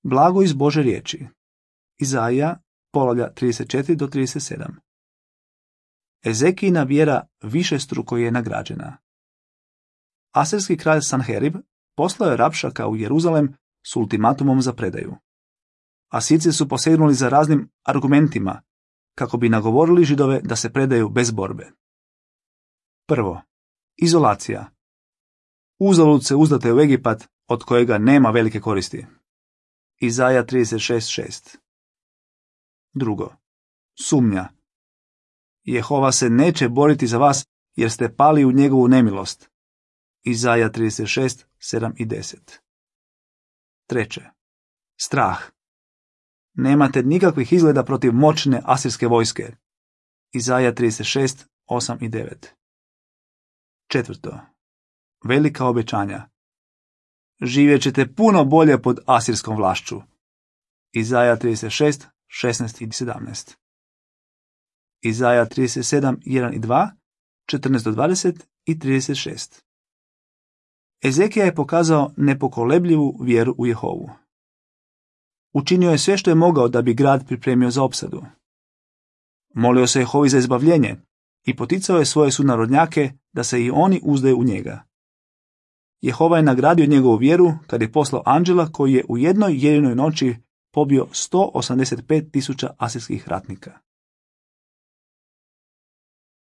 Blago iz Bože riječi. Izaija, poglavlja 34 do 37. Ezekijina vjera višestruko je nagrađena. Asirski kralj Sanherib poslao je Rapšaka u Jeruzalem s ultimatumom za predaju. Asirci su posegnuli za raznim argumentima kako bi nagovorili Židove da se predaju bez borbe. Prvo, izolacija. Uzalud se uzdate u Egipat, od kojega nema velike koristi. Izaija 36.6. Drugo, sumnja. Jehova se neće boriti za vas jer ste pali u njegovu nemilost. Izaija 36.7 i 10. Treće, strah. Nemate nikakvih izgleda protiv moćne asirske vojske. Izaija 36.8 i 9. Četvrto, velika obećanja. Živjet ćete puno bolje pod asirskom vlašću. Izaija 36.16 i 17. Izaija 37.1 i 2, 14 do 20 i 36. Ezekija je pokazao nepokolebljivu vjeru u Jehovu. Učinio je sve što je mogao da bi grad pripremio za opsadu. Molio se Jehovi za izbavljenje i poticao je svoje sunarodnjake da se i oni uzdaju u njega. Jehova je nagradio njegovu vjeru kad je poslao anđela koji je u jednoj jedinoj noći pobio 185.000 asirskih ratnika.